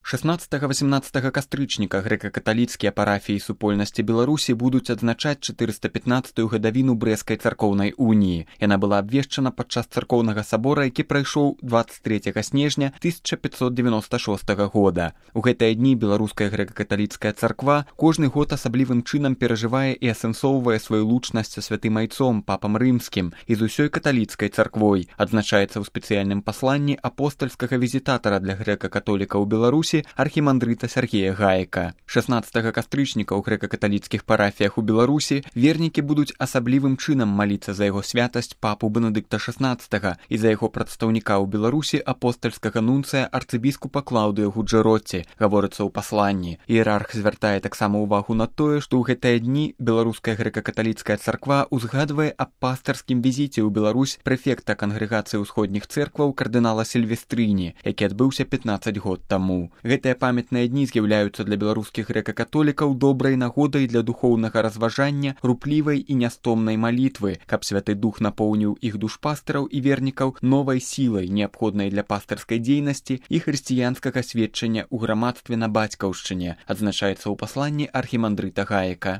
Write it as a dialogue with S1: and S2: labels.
S1: 16-18 кастрычніка грэка-каталіцкія парафіі супольнасці Беларусі будуць адзначаць 415-ю гадавіну Брэсцкай царкоўнай уніі. Яна была абвешчана падчас царкоўнага сабора, які прайшоў 23 снежня 1596 года. У гэтыя дні беларуская грэка-каталіцкая царква кожны год асаблівым чынам перажывае і асэнсоўвае сваю лучнасць са святым айцом, папам рымскім і з усёй каталіцкай царквой. Адзначаецца ў спецыяльным пасланні апостальскага візітатара для грэка-католікаў у Беларусі архімандрыта Сергея Гаека. 16 кастрычніка ў грэка-каталіцкіх парафіях у Беларусі вернікі будуць асаблівым чынам маліцца за яго святасць папу Бенедыкта XVI і за яго прадстаўніка ў Беларусі апостальскага нунцыя арцыбіскупа Клаўдыя Гуджэротці, гаворыцца ў пасланні. Іерарх звяртае таксама ўвагу на тое, што ў гэтыя дні беларуская грэка-каталіцкая царква узгадвае аб пастырскім візіце ў Беларусь прэфекта кангрэгацыі ўсходніх цэркваў кардынала Сільвестрыні, які адбыўся 15 год таму. Гэтыя памятныя дні з'яўляюцца для беларускіх грэка-католікаў добрай нагодай для духоўнага разважання, руплівай і нястомнай малітвы, каб святы дух напоўніў іх душпастыраў і вернікаў новай сілай, неабходнай для пастырскай дзейнасці і хрысціянскага сведчання ў грамадстве на бацькаўшчыне, адзначаецца ў пасланні архімандрыта Гаека.